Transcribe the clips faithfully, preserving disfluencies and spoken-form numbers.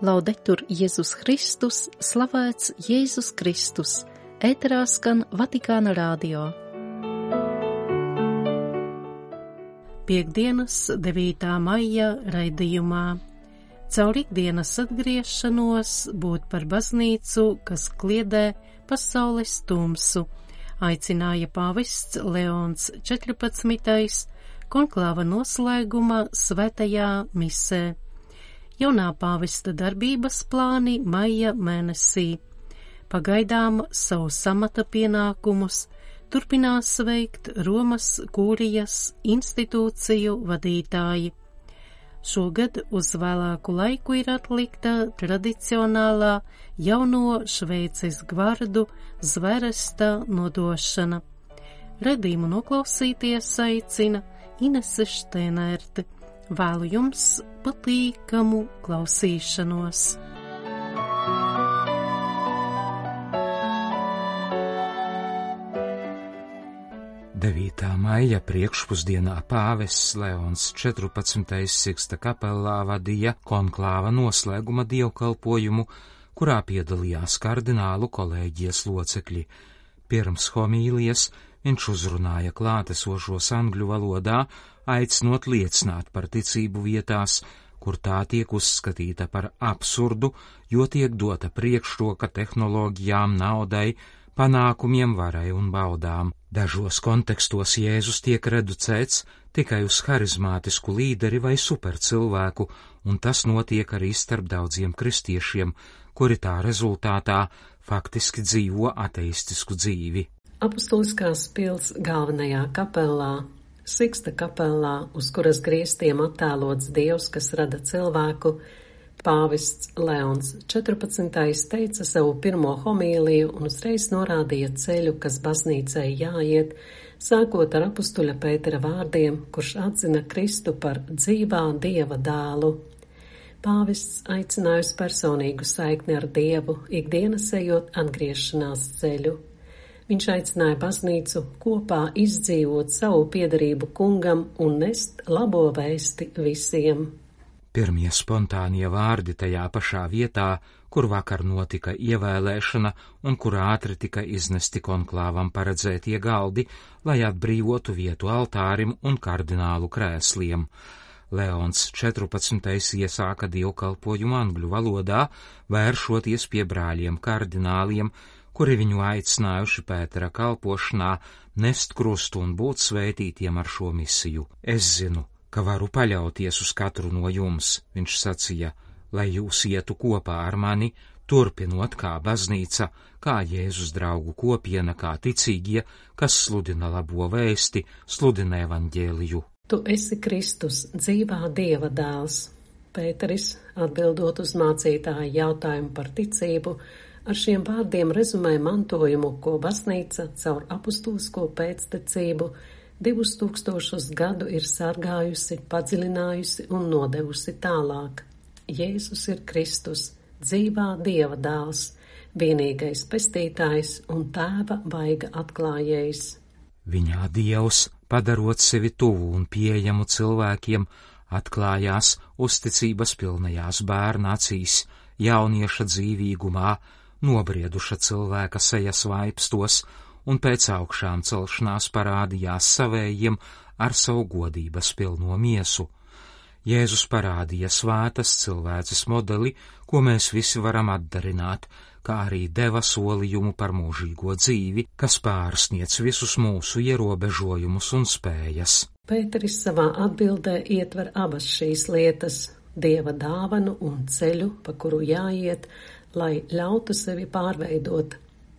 Laudetur Jēzus Kristus, slavēts Jēzus Kristus, ēterā skan Vatikāna radio. Piektdienas, devītā maija raidījumā. Caur ikdienas atgriešanos būt par baznīcu, kas kliedē pasaules tumsu, aicināja pāvests Leons četrpadsmitais konklāva noslēguma svētajā misē. Jaunā pāvesta darbības plāni maija mēnesī. Pagaidām savu samata pienākumus turpinās veikt Romas kūrijas institūciju vadītāji. Šogad uz vēlāku laiku ir atlikta tradicionālā jauno Šveices gvardu zveresta nodošana. Redījumu noklausīties aicina Inese Štēnērte. Vēlu jums patīkamu klausīšanos. devītā maija priekšpusdienā pāvests Leons četrpadsmitais Siksta kapelā vadīja konklāva noslēguma dievkalpojumu, kurā piedalījās kardinālu kolēģijas locekļi. Pirms homīlijas viņš uzrunāja klātesošos angļu valodā, aicinot liecināt par ticību vietās, kur tā tiek uzskatīta par absurdu, jo tiek dota priekšroka tehnoloģijām, naudai, panākumiem, varai un baudām. Dažos kontekstos Jēzus tiek reducēts tikai uz harizmātisku līderi vai supercilvēku, un tas notiek arī starp daudziem kristiešiem, kuri tā rezultātā faktiski dzīvo ateistisku dzīvi. Apustuliskās pils galvenajā kapelā, Siksta kapelā, uz kuras griestiem attēlots Dievs, kas rada cilvēku, pāvests Leons četrpadsmitais teica savu pirmo homīliju un uzreiz norādīja ceļu, kas baznīcai jāiet, sākot ar apustuļa Pētera vārdiem, kurš atzina Kristu par dzīvā Dieva dēlu. Pāvests aicināja uz personīgu saikni ar Dievu, ikdienas ejot atgriešanās ceļu. Viņš aicināja baznīcu kopā izdzīvot savu piederību kungam un nest labo vēsti visiem. Pirmie spontānie vārdi tajā pašā vietā, kur vakar notika ievēlēšana un kur ātri tika iznesti konklāvam paredzētie galdi, lai atbrīvotu vietu altārim un kardinālu krēsliem. Leons četrpadsmitais iesāka dievkalpojumu angļu valodā, vēršoties pie brāļiem kardināliem, kuri viņu aicinājuši Pētera kalpošanā nest krustu un būt svētītiem ar šo misiju. Es zinu, ka varu paļauties uz katru no jums, viņš sacīja, lai jūs ietu kopā ar mani, turpinot kā baznīca, kā Jēzus draugu kopiena, kā ticīgie, kas sludina labo vēsti, sludina evaņģēliju. Tu esi Kristus, dzīvā Dieva dēls. Pēteris, atbildot uz mācītāja jautājumu par ticību, ar šiem vārdiem rezumē mantojumu, ko baznīca caur apustulisko pēctecību divus tūkstošus gadu ir sargājusi, padziļinājusi un nodevusi tālāk. Jēzus ir Kristus, dzīvā Dieva dēls, vienīgais pestītājs un tēva vaiga atklājējs. Viņā Dievs, padarot sevi tuvu un pieejamu cilvēkiem, atklājās uzticības pilnajās bērna acīs, jaunieša dzīvīgumā, nobrieduša cilvēka sejas vaipstos un pēc augšām celšanās parādījās savējiem ar savu godības pilno miesu. Jēzus parādīja svētas cilvēces modeli, ko mēs visi varam atdarināt, kā arī deva solījumu par mūžīgo dzīvi, kas pārsniedz visus mūsu ierobežojumus un spējas. Pēteris savā atbildē ietver abas šīs lietas – Dieva dāvanu un ceļu, pa kuru jāiet, lai ļautu sevi pārveidot,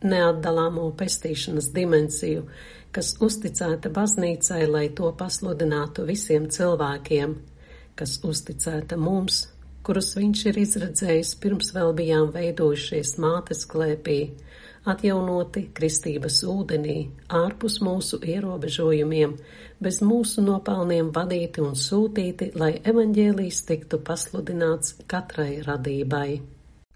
neatdalāmo pestīšanas dimensiju, kas uzticēta baznīcai, lai to pasludinātu visiem cilvēkiem, kas uzticēta mums, kurus viņš ir izredzējis pirms vēl bijām veidojušies mātes klēpī, atjaunoti kristības ūdenī, ārpus mūsu ierobežojumiem, bez mūsu nopelniem vadīti un sūtīti, lai evaņģēlijs tiktu pasludināts katrai radībai.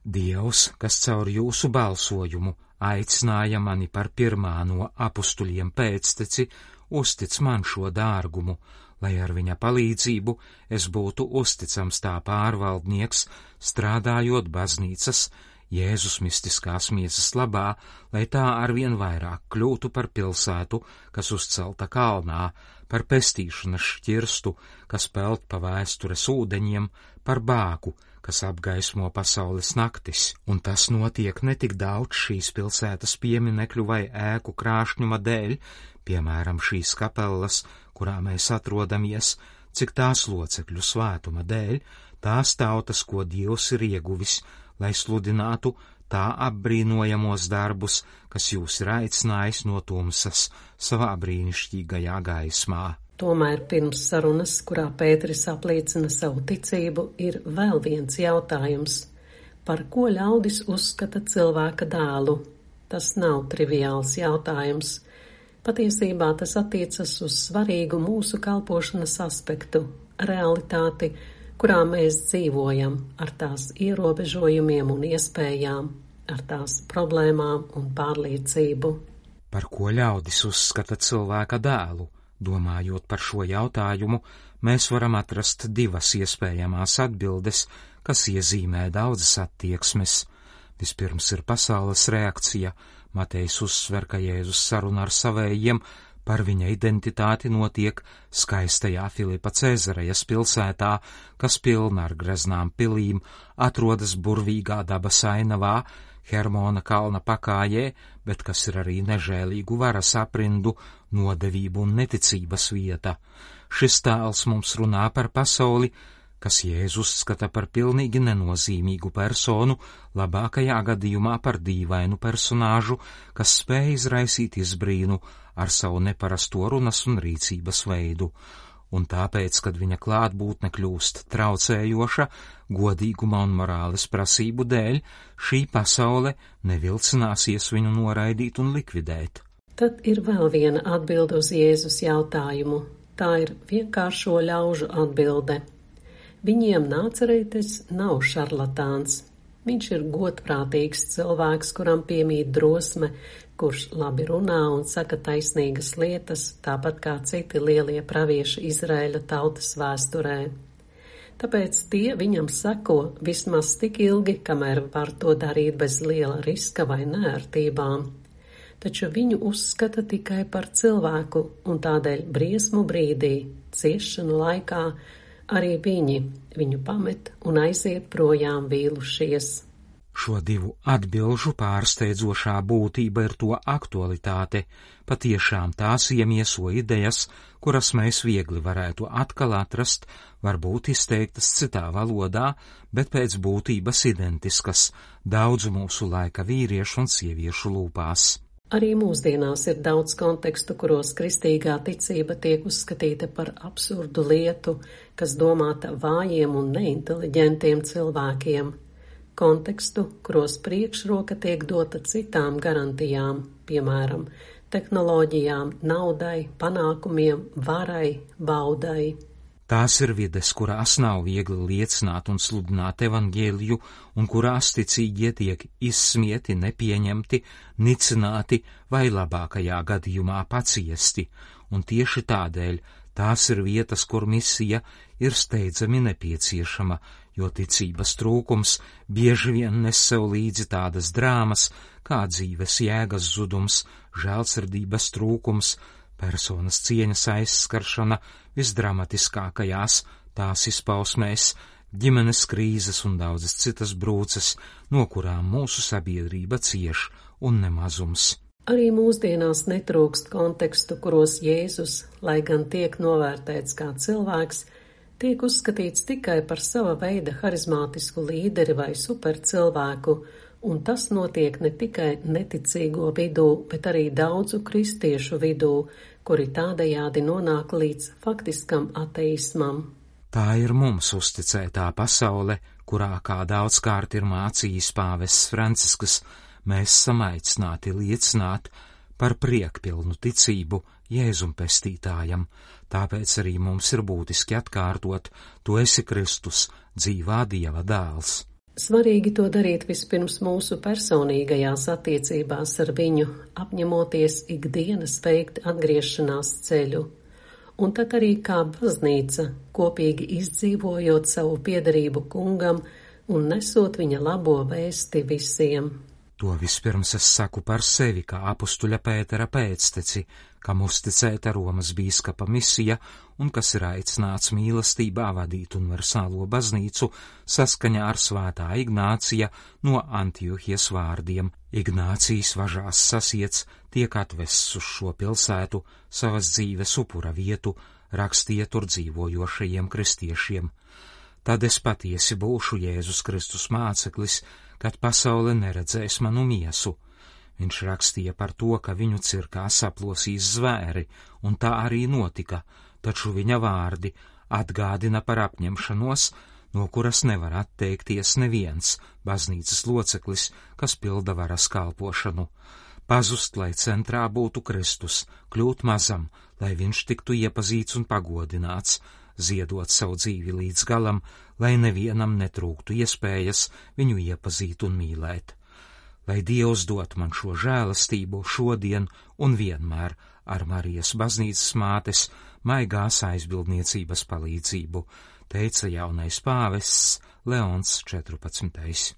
Dievs, kas caur jūsu balsojumu aicināja mani par pirmā no apustuļiem pēcteci, uztic man šo dārgumu, lai ar viņa palīdzību es būtu uzticams tā pārvaldnieks, strādājot baznīcas, Jēzus mistiskās miesas labā, lai tā arvien vairāk kļūtu par pilsētu, kas uzcelta kalnā, par pestīšanas šķirstu, kas peld pa vēstures ūdeņiem, par bāku, kas apgaismo pasaules naktis, un tas notiek ne tik daudz šīs pilsētas pieminekļu vai ēku krāšņuma dēļ, piemēram šīs kapellas, kurā mēs atrodamies, cik tās locekļu svētuma dēļ, tās tautas, ko Dievs ir ieguvis, lai sludinātu tā apbrīnojamos darbus, kas jūs ir aicinājis no tumsas savā brīnišķīgajā gaismā. Tomēr pirms sarunas, kurā Pēteris apliecina savu ticību, ir vēl viens jautājums. Par ko ļaudis uzskata cilvēka dēlu? Tas nav triviāls jautājums. Patiesībā tas attiecas uz svarīgu mūsu kalpošanas aspektu, realitāti, kurā mēs dzīvojam, ar tās ierobežojumiem un iespējām, ar tās problēmām un pārliecību. Par ko ļaudis uzskata cilvēka dēlu? Domājot par šo jautājumu, mēs varam atrast divas iespējamās atbildes, kas iezīmē daudzas attieksmes. Vispirms ir pasaules reakcija. Matejs uzsver, ka Jēzus saruna ar savējiem par viņa identitāti notiek skaistajā Filipa Cēzarejas pilsētā, kas pilna ar greznām pilīm, atrodas burvīgā dabas ainavā, Hermona kalna pakājē, bet kas ir arī nežēlīgu varas aprindu, nodevību un neticības vieta. Šis tēls mums runā par pasauli, kas Jēzus skata par pilnīgi nenozīmīgu personu, labākajā gadījumā par dīvainu personāžu, kas spēj izraisīt izbrīnu ar savu neparasto runas un rīcības veidu. Un tāpēc, kad viņa klātbūtne kļūst traucējoša, godīguma un morāles prasību dēļ, šī pasaule nevilcināsies viņu noraidīt un likvidēt. Tad ir vēl viena atbilde uz Jēzus jautājumu. Tā ir vienkāršo ļaužu atbilde. Viņiem Nācerētis nav šarlatāns. Viņš ir godprātīgs cilvēks, kuram piemīt drosme, kurš labi runā un saka taisnīgas lietas, tāpat kā citi lielie pravieši Izraēļa tautas vēsturē. Tāpēc tie viņam seko vismaz tik ilgi, kamēr var to darīt bez liela riska vai neērtībām. Taču viņu uzskata tikai par cilvēku, un tādēļ briesmu brīdī, ciešanu laikā, arī viņi viņu pamet un aiziet projām vīlušies. Šo divu atbilžu pārsteidzošā būtība ir to aktualitāte, patiešām tās iemieso idejas, kuras mēs viegli varētu atkal atrast, varbūt izteiktas citā valodā, bet pēc būtības identiskas daudzu mūsu laika vīriešu un sieviešu lūpās. Arī mūsdienās ir daudz kontekstu, kuros kristīgā ticība tiek uzskatīta par absurdu lietu, kas domāta vājiem un neinteliģentiem cilvēkiem. Kontekstu, kuros priekšroka tiek dota citām garantijām, piemēram, tehnoloģijām, naudai, panākumiem, varai, baudai. Tās ir vides, kurās nav viegli liecināt un sludināt evaņģēliju, un kurās ticīgie tiek izsmieti, nepieņemti, nicināti vai labākajā gadījumā paciesti, un tieši tādēļ tās ir vietas, kur misija ir steidzami nepieciešama, jo ticības trūkums bieži vien nes sev līdzi tādas drāmas, kā dzīves jēgas zudums, žēlsirdības trūkums, personas cieņas aizskaršana visdramatiskākajās tās izpausmēs, ģimenes krīzes un daudzas citas brūces, no kurām mūsu sabiedrība cieš un nemazums. Arī mūsdienās netrūkst kontekstu, kuros Jēzus, lai gan tiek novērtēts kā cilvēks, tiek uzskatīts tikai par sava veida harizmātisku līderi vai supercilvēku, un tas notiek ne tikai neticīgo vidū, bet arī daudzu kristiešu vidū, kuri tādējādi nonāk līdz faktiskam ateismam. Tā ir mums uzticētā pasaule, kurā kā daudzkārt ir mācījis pāvests Francisks, mēs samaicināti liecināt par priekpilnu ticību Jēzum pestītājam, tāpēc arī mums ir būtiski atkārtot: tu esi Kristus, dzīvā Dieva dēls. Svarīgi to darīt vispirms mūsu personīgajās attiecībās ar viņu, apņemoties ikdienas veikt atgriešanās ceļu. un tad arī kā baznīca, kopīgi izdzīvojot savu piederību kungam un nesot viņa labo vēsti visiem. To vispirms es saku par sevi, kā apustuļa Pētera pēcteci, kam uzticēta Romas bīskapa misija un kas ir aicināts mīlestībā vadīt universālo baznīcu saskaņā ar svētā Ignācija no Antiohijas vārdiem. Ignācijas važās sasiets tiek atvests uz šo pilsētu, savas dzīves upura vietu, rakstīja tur dzīvojošajiem kristiešiem. Tad es patiesi būšu Jēzus Kristus māceklis, kad pasaule neredzēs manu miesu. Viņš rakstīja par to, ka viņu cirkā saplosīs zvēri, un tā arī notika, taču viņa vārdi atgādina par apņemšanos, no kuras nevar atteikties neviens baznīcas loceklis, kas pilda varas kalpošanu. Pazust, lai centrā būtu Kristus, kļūt mazam, lai viņš tiktu iepazīts un pagodināts, ziedot savu dzīvi līdz galam, lai nevienam netrūktu iespējas viņu iepazīt un mīlēt. Lai Dievs dot man šo žēlastību šodien un vienmēr ar Marijas baznīcas mātes maigās aizbildniecības palīdzību, teica jaunais pāvests Leons četrpadsmitais.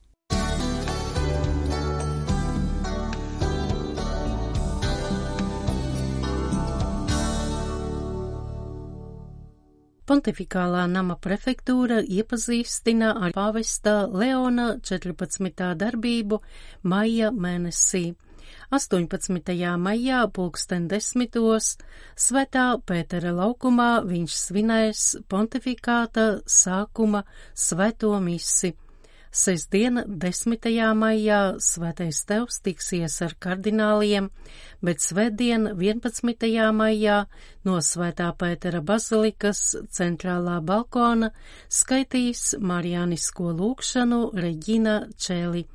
Pontifikālā nama prefektūra iepazīstina ar pāvesta Leona četrpadsmitā darbību maija mēnesī. astoņpadsmitajā maijā pulksten desmitos Svētā Pētera laukumā viņš svinēs pontifikāta sākuma svēto misi. Sestdien, desmitajā maijā, Svētais Tevs tiksies ar kardināliem, bet svētdien, vienpadsmitajā maijā, no Svētā Pētera bazilikas centrālā balkona skaitīs marijānisko lūgšanu Reģina Čēli.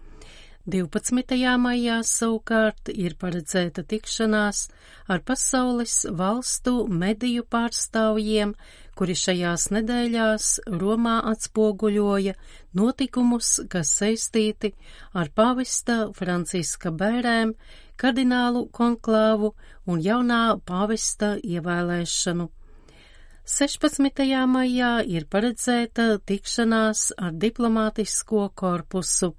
divpadsmitajā maijā savukārt ir paredzēta tikšanās ar pasaules valstu mediju pārstāvjiem, kuri šajās nedēļās Romā atspoguļoja notikumus, kas saistīti ar pāvesta Franciska bērēm, kardinālu konklāvu un jaunā pāvesta ievēlēšanu. sešpadsmitajā maijā ir paredzēta tikšanās ar diplomātisko korpusu,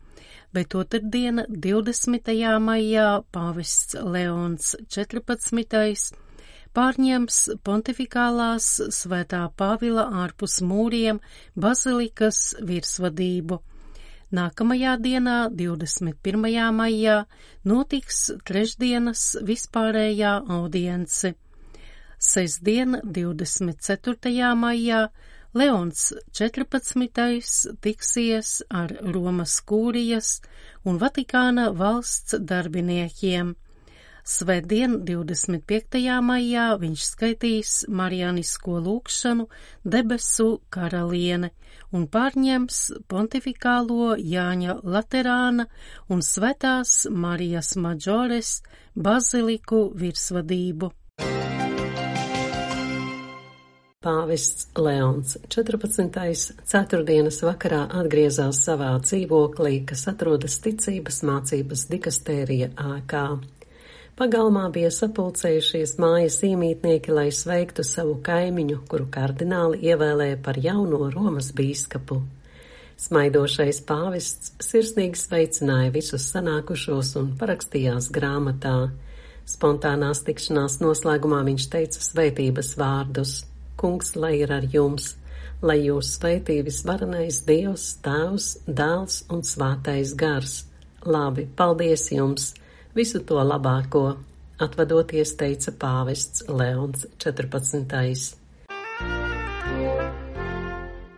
bet otrdiena, divdesmitajā maijā, pāvests Leons četrpadsmitais pārņems pontifikālās Svētā Pāvila ārpus mūriem bazilikas virsvadību. Nākamajā dienā, divdesmit pirmajā maijā, notiks trešdienas vispārējā audience. Sestdien, divdesmit ceturtajā maijā, Leons četrpadsmitais tiksies ar Romas kūrijas un Vatikāna valsts darbiniekiem. Svētdien, divdesmit piektajā maijā, viņš skaitīs marijānisko lūgšanu Debesu karaliene un pārņems pontifikālo Jāņa Laterāna un Svētās Marijas Maģores baziliku virsvadību. Pāvests Leons četrpadsmitais ceturtdienas vakarā atgriezās savā dzīvoklī, kas atrodas ticības mācības dikastērija ēkā. Pagalmā bija sapulcējušies mājas iemītnieki, lai sveiktu savu kaimiņu, kuru kardināli ievēlēja par jauno Romas bīskapu. Smaidošais pāvests sirsnīgi sveicināja visus sanākušos un parakstījās grāmatā. Spontānās tikšanās noslēgumā viņš teica svētības vārdus: Kungs, lai ir ar jums, lai jūs svētī visvarenais Dievs, Tēvs, Dēls un Svētais Gars. Labi, paldies jums! Visu to labāko, atvadoties, teica pāvests Leons četrpadsmitais.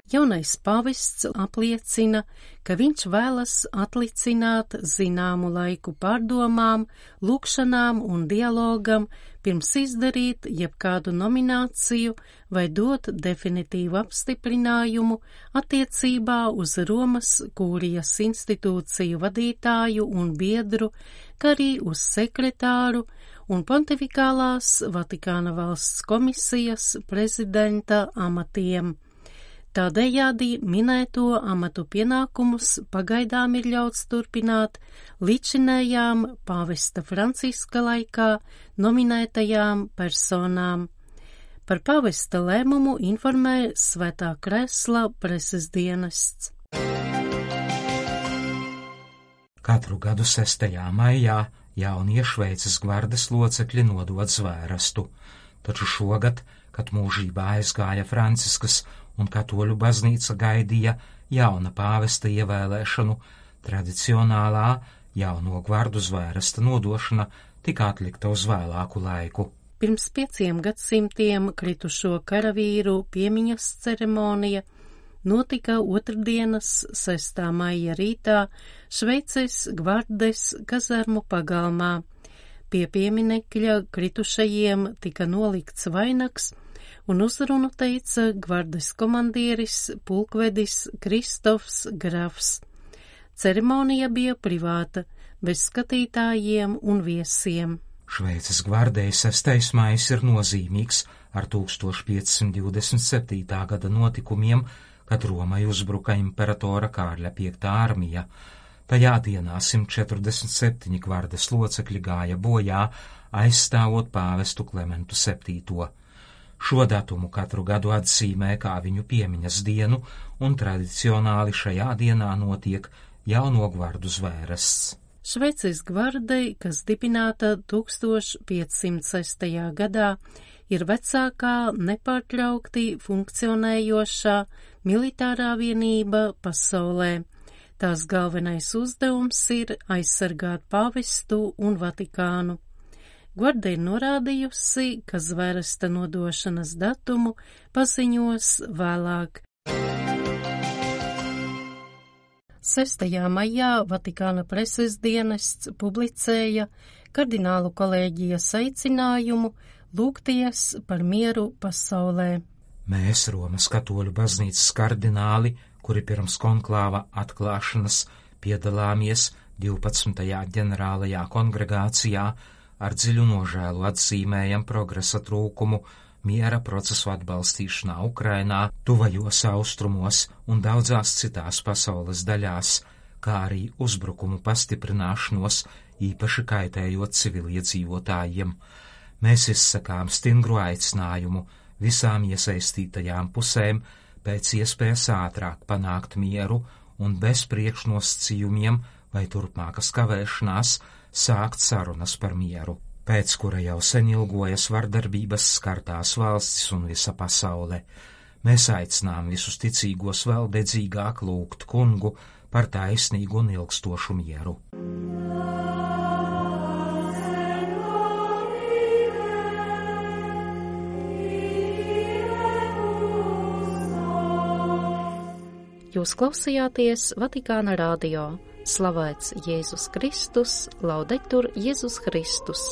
Jaunais pāvests apliecina, ka viņš vēlas atlicināt zināmu laiku pārdomām, lūgšanām un dialogam, pirms izdarīt jebkādu nomināciju vai dot definitīvu apstiprinājumu attiecībā uz Romas kūrijas institūciju vadītāju un biedru, kā arī uz sekretāru un pontifikālās Vatikāna valsts komisijas prezidenta amatiem. Tādējādi minēto amatu pienākumus pagaidām ir ļauts turpināt līdzinējām pāvesta Franciska laikā nominētajām personām. Par pavesta lēmumu informē Svētā Kresla preses dienests. Katru gadu sestajā maijā jaunie Šveices gvardes locekļi nodod zvērestu, taču šogad, kad mūžībā aizgāja Franciskas un katoļu baznīca gaidīja jauna pāvesta ievēlēšanu, tradicionālā jauno gvardu zvēresta nodošana tika atlikta uz vēlāku laiku. Pirms pieciem gadsimtiem kritušo karavīru piemiņas ceremonija notika otrdienas sestā maija rītā Šveices gvardes kazarmu pagalmā. Pie pieminekļa kritušajiem tika nolikts vainags un uzrunu teica gvardes komandieris pulkvedis Kristofs Grafs. Ceremonija bija privāta, bez skatītājiem un viesiem. Šveices gvardei sestais maijs ir nozīmīgs ar tūkstoš piecsimt divdesmit septītā gada notikumiem, kad Romai uzbruka imperatora Kārļa piektā armija. Tajā dienā simt četrdesmit septiņi gvardes locekļi gāja bojā, aizstāvot pāvestu Klementu septīto. Šo datumu katru gadu atzīmē kā viņu piemiņas dienu, un tradicionāli šajā dienā notiek jauno gvardu zvērests. Šveices gvardei, kas dibināta tūkstoš piecsimt sestajā gadā, ir vecākā nepārtraukti funkcionējošā militārā vienība pasaulē. Tās galvenais uzdevums ir aizsargāt pāvestu un Vatikānu. Gvarde ir norādījusi, ka zvēresta nodošanas datumu paziņos vēlāk. sestajā maijā Vatikāna preses dienests publicēja kardinālu kolēģijas aicinājumu lūgties par mieru pasaulē. Mēs, Romas katoļu baznīcas kardināli, kuri pirms konklāva atklāšanas piedalāmies divpadsmitajā ģenerālajā kongregācijā, ar dziļu nožēlu atzīmējam progresa trūkumu miera procesu atbalstīšanā Ukrainā, tuvajos austrumos un daudzās citās pasaules daļās, kā arī uzbrukumu pastiprināšanos, īpaši kaitējot civiliedzīvotājiem. Mēs izsakām stingru aicinājumu visām iesaistītajām pusēm pēc iespējas ātrāk panākt mieru un bez priekšnosacījumiem vai turpmākas kavēšanās sākt sarunas par mieru, pēc kura jau sen ilgojas vardarbības skartās valstis un visa pasaule. Mēs aicinām visus ticīgos vēl dedzīgāk lūgt kungu par taisnīgu un ilgstošu mieru. Jūs klausījāties Vatikāna radio. Slavēts Jēzus Kristus, laudetur Jēzus Kristus.